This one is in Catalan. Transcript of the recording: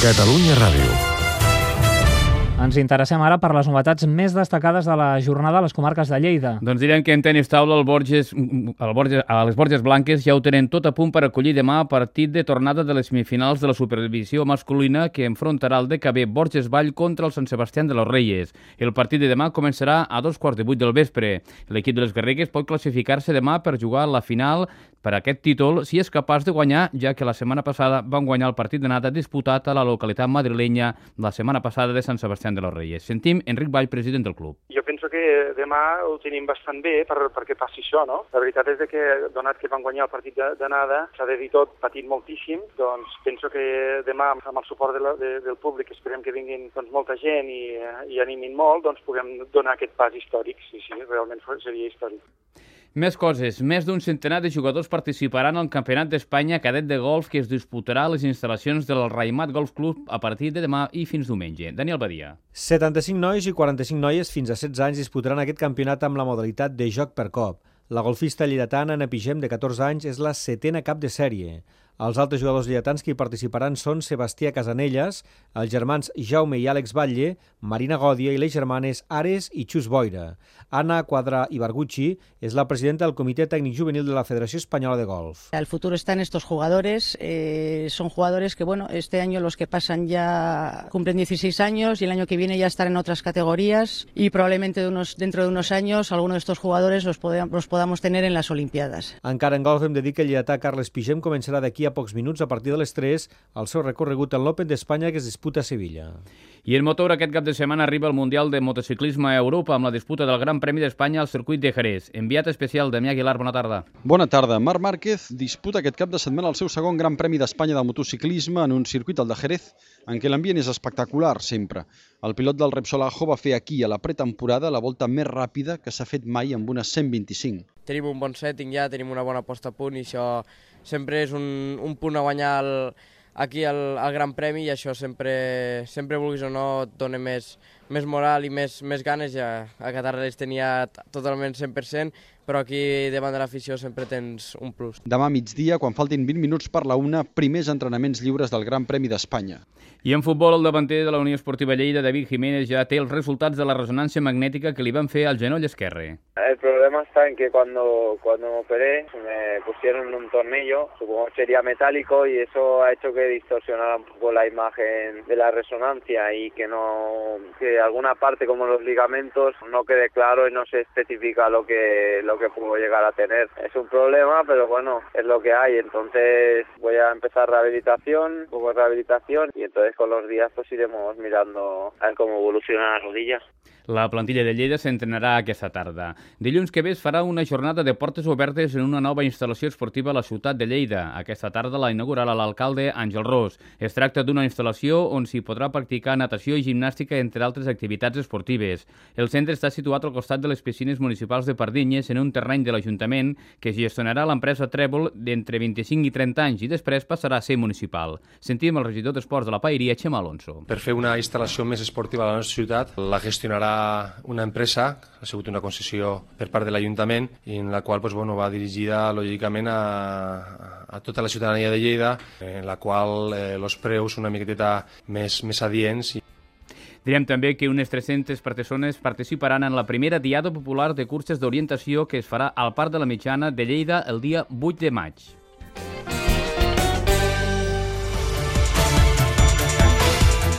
Catalunya Ràdio. Ens interessem ara per les novetats més destacades de la jornada a les comarques de Lleida. Doncs direm que en tenis taula a les Borges Blanques ja ho tenen tot a punt per acollir demà partit de tornada de les semifinals de la superdivisió masculina que enfrontarà el DKB Borges Vall contra el Sant Sebastián de los Reyes. El partit de demà començarà a 7:15 del vespre. L'equip de les Garrigues pot classificar-se demà per jugar la final per aquest títol si és capaç de guanyar, ja que la setmana passada van guanyar el partit d'anada disputat a la localitat madrilenya la setmana passada de Sant Sebastián de los Reyes. Sentim Enric Vall, president del club. Jo penso que demà ho tenim bastant bé perquè passi això, no? La veritat és que, donat que van guanyar el partit d'anada, s'ha de dir tot patint moltíssim, doncs penso que demà, amb el suport del públic, esperem que vinguin molta gent i animin molt, doncs puguem donar aquest pas històric. Sí, realment seria històric. Més coses. Més d'un centenar de jugadors participaran al Campionat d'Espanya cadet de golf que es disputarà a les instal·lacions del Raimat Golf Club a partir de demà i fins diumenge. Daniel Badia. 75 nois i 45 noies fins a 16 anys disputaran aquest campionat amb la modalitat de joc per cop. La golfista lleidatana Anna Pigem, de 14 anys, és la 7a cap de sèrie. Els altres jugadors lleidatans que hi participaran són Sebastià Casanelles, els germans Jaume i Àlex Batlle, Marina Gòdia i les germanes Ares i Xus Boira. Ana Quadra Ibarguchi es la presidenta del Comitè Tècnic Juvenil de la Federació Espanyola de Golf. El futuro está en estos jugadores. Son jugadores que, este año los que pasan ya cumplen 16 años y el año que viene ya estarán en otras categorías y probablemente dentro de unos años algunos de estos jugadores los podamos tener en las Olimpiadas. Encara en golf hem de dir que el lleidatà Carles Pigem començarà d'aquí a pocs minuts a partir de les 3 el seu recorregut en l'Open d'Espanya que es disputa a Sevilla. I en motor aquest cap de setmana arriba el Mundial de Motociclisme a Europa amb la disputa del Gran Premi d'Espanya al circuit de Jerez. Enviat especial Damià Aguilar, bona tarda. Bona tarda. Marc Márquez disputa aquest cap de setmana el seu segon Gran Premi d'Espanya de motociclisme en un circuit, el de Jerez, en què l'ambient és espectacular sempre. El pilot del Repsol Ajo va fer aquí, a la pretemporada, la volta més ràpida que s'ha fet mai amb una 125. Tenim un bon setting ja, tenim una bona posta a punt i això sempre és un punt a guanyar aquí al Gran Premi i això sempre vulguis o no, et dona més moral i més ganes. Ja a Qatar les tenia totalment 100%, però aquí davant de l'afició sempre tens un plus. Demà a migdia, quan faltin 20 minuts per la 1, primers entrenaments lliures del Gran Premi d'Espanya. I en futbol, el davanter de la Unió Esportiva Lleida, David Jiménez, ja té els resultats de la resonància magnètica que li van fer al genoll esquerre. El problema está en que cuando me operé me pusieron un tornillo, supongo que sería metálico, y eso ha hecho que distorsionara un poco la imagen de la resonancia y que alguna parte como los ligamentos no quede claro y no se especifica lo que puedo llegar a tener. Es un problema, pero bueno, es lo que hay. Entonces voy a empezar rehabilitación, un poco de rehabilitación, y entonces con los días pues iremos mirando a ver cómo evoluciona la rodilla. La plantilla de Lleida s'entrenarà aquesta tarda. Dilluns que ve es farà una jornada de portes obertes en una nova instal·lació esportiva a la ciutat de Lleida. Aquesta tarda la inaugurarà l'alcalde Àngel Ros. Es tracta d'una instal·lació on s'hi podrà practicar natació i gimnàstica, entre altres activitats esportives. El centre està situat al costat de les piscines municipals de Pardinyes, en un terreny de l'Ajuntament que gestionarà l'empresa Trèvol d'entre 25 i 30 anys i després passarà a ser municipal. Sentim el regidor d'Esports de la Paeria, Xema Alonso. Per fer una instal·lació més esportiva a la nostra ciutat, la gestionarà una empresa, ha sigut una concessió per part de l'Ajuntament, i en la qual va dirigida lògicament a tota la ciutadania de Lleida, en la qual els preus són una miqueteta més adients. Direm també que unes 300 persones participaran en la primera diada popular de curses d'orientació que es farà al Parc de la Mitjana de Lleida el dia 8 de maig.